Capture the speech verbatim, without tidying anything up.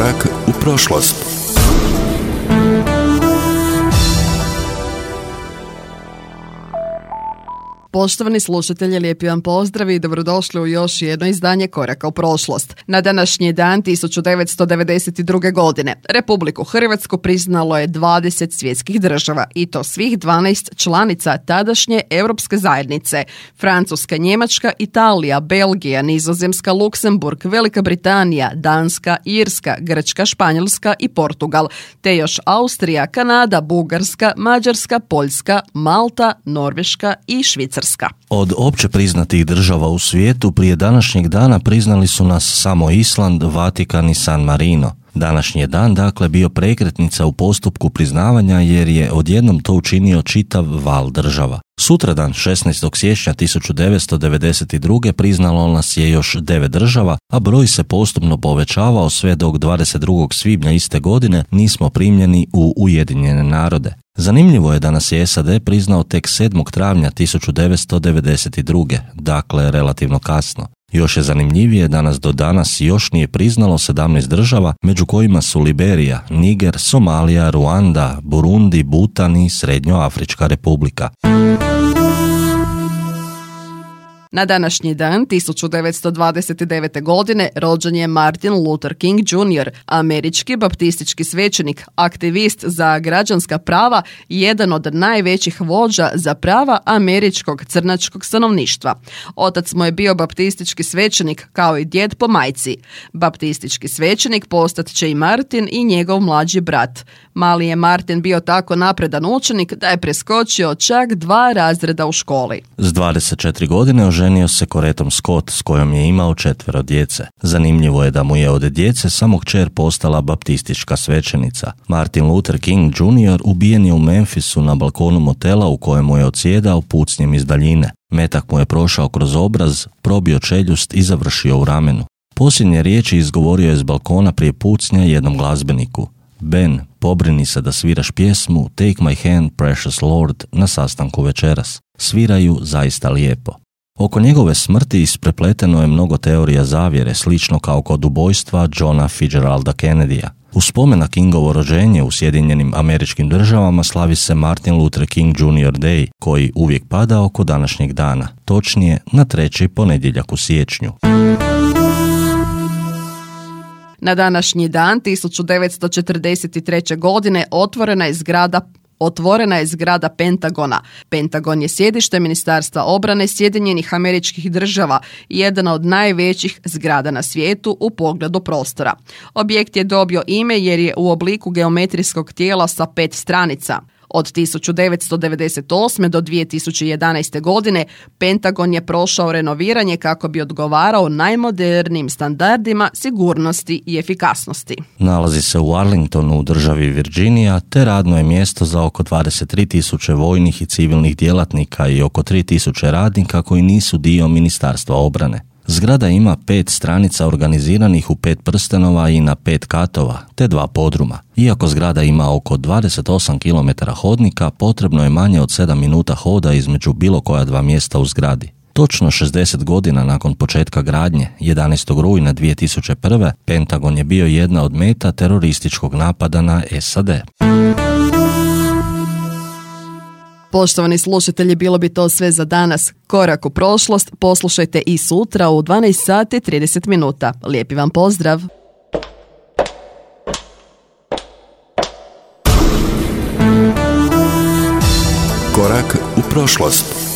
Korak u prošlost. Poštovani slušatelji, lijepi vam pozdrav i dobrodošli u još jedno izdanje Koraka u prošlost. Na današnji dan tisuću devetsto devedeset druge. godine Republiku Hrvatsku priznalo je dvadeset svjetskih država i to svih dvanaest članica tadašnje Europske zajednice: Francuska, Njemačka, Italija, Belgija, Nizozemska, Luksemburg, Velika Britanija, Danska, Irska, Grčka, Španjolska i Portugal, te još Austrija, Kanada, Bugarska, Mađarska, Poljska, Malta, Norveška i Švicarska. Od opće priznatih država u svijetu prije današnjeg dana priznali su nas samo Island, Vatikan i San Marino. Današnji je dan dakle bio prekretnica u postupku priznavanja jer je odjednom to učinio čitav val država. Sutradan, šesnaestog siječnja tisuću devetsto devedeset druge. priznalo nas je još devet država, a broj se postupno povećavao sve dok dvadeset drugog svibnja iste godine nismo primljeni u Ujedinjene narode. Zanimljivo je da nas je S A D priznao tek sedmog travnja tisuću devetsto devedeset druge. dakle relativno kasno. Još je zanimljivije da nas do danas još nije priznalo sedamnaest država, među kojima su Liberija, Niger, Somalija, Ruanda, Burundi, Butan i Srednjoafrička republika. Na današnji dan tisuću devetsto dvadeset devete. godine rođen je Martin Luther King junior, američki baptistički svećenik, aktivist za građanska prava i jedan od najvećih vođa za prava američkog crnačkog stanovništva. Otac mu je bio baptistički svećenik kao i djed po majci. Baptistički svećenik postat će i Martin i njegov mlađi brat. Mali je Martin bio tako napredan učenik da je preskočio čak dva razreda u školi. S dvadeset četiri godine oženio se Corettom Scott s kojom je imao četvero djece. Zanimljivo je da mu je od djece samo kćer postala baptistička svećenica. Martin Luther King junior ubijen je u Memphisu na balkonu motela u kojemu je odsjedao pucnjem iz daljine. Metak mu je prošao kroz obraz, probio čeljust i završio u ramenu. Posljednje riječi izgovorio je s balkona prije pucnja jednom glazbeniku: Ben, pobrini se da sviraš pjesmu Take my hand, precious Lord na sastanku večeras. Sviraju zaista lijepo. Oko njegove smrti isprepleteno je mnogo teorija zavjere, slično kao kod ubojstva Johna Fitzgeralda Kennedya. U spomen na Kingovo rođenje u Sjedinjenim Američkim Državama slavi se Martin Luther King junior Day, koji uvijek pada oko današnjeg dana, točnije na treći ponedjeljak u siječnju. Na današnji dan tisuću devetsto četrdeset treće. godine otvorena je zgrada Otvorena je zgrada Pentagona. Pentagon je sjedište Ministarstva obrane Sjedinjenih Američkih Država i jedna od najvećih zgrada na svijetu u pogledu prostora. Objekt je dobio ime jer je u obliku geometrijskog tijela sa pet stranica. Od tisuću devetsto devedeset osme. do dvije tisuće jedanaeste. godine Pentagon je prošao renoviranje kako bi odgovarao najmodernijim standardima sigurnosti i efikasnosti. Nalazi se u Arlingtonu u državi Virginija, te radno je mjesto za oko dvadeset tri tisuće vojnih i civilnih djelatnika i oko tri tisuće radnika koji nisu dio Ministarstva obrane. Zgrada ima pet stranica organiziranih u pet prstenova i na pet katova, te dva podruma. Iako zgrada ima oko dvadeset osam kilometara hodnika, potrebno je manje od sedam minuta hoda između bilo koja dva mjesta u zgradi. Točno šezdeset godina nakon početka gradnje, jedanaestog rujna dvije tisuće prve. Pentagon je bio jedna od meta terorističkog napada na S A D. Poštovani slušatelji, bilo bi to sve za danas. Korak u prošlost poslušajte i sutra u dvanaest sati trideset minuta. Lijepi vam pozdrav! Korak u prošlost.